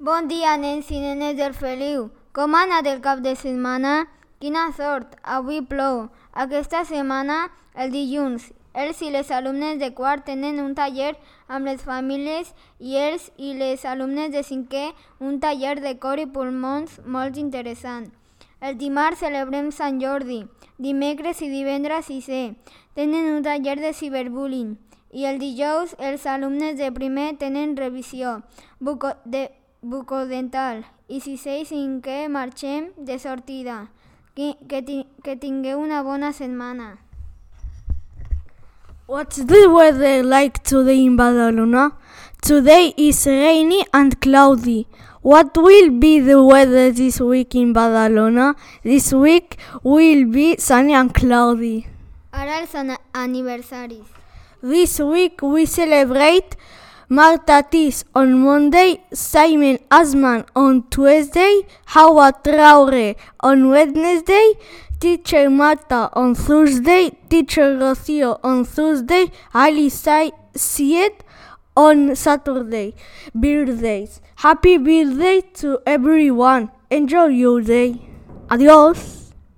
Bon dia, nens i nenes del Feliu. Com ha anat el cap de setmana? Quina sort! Avui plou. Aquesta setmana, el dilluns, els i les alumnes de quart tenen un taller amb les famílies i els i les alumnes de cinquè un taller de cor i pulmons molt interessant. El dimarts celebrem Sant Jordi. Dimecres i divendres sisè tenen un taller de ciberbullying. I el dijous els alumnes de primer tenen revisió bucodental i sisè i cinquè marxem de sortida. Que tingueu una bona setmana. What's the weather like today in Badalona? Today is rainy and cloudy. What will be the weather this week in Badalona? This week will be sunny and cloudy. Ara els aniversaris. This week we celebrate Marta Tis on Monday, Simon Asman on Tuesday, Hawa Traore on Wednesday, Teacher Marta on Thursday, Teacher Rocio on Thursday, Ali Syed on Saturday. Birthdays. Happy birthday to everyone. Enjoy your day. Adios.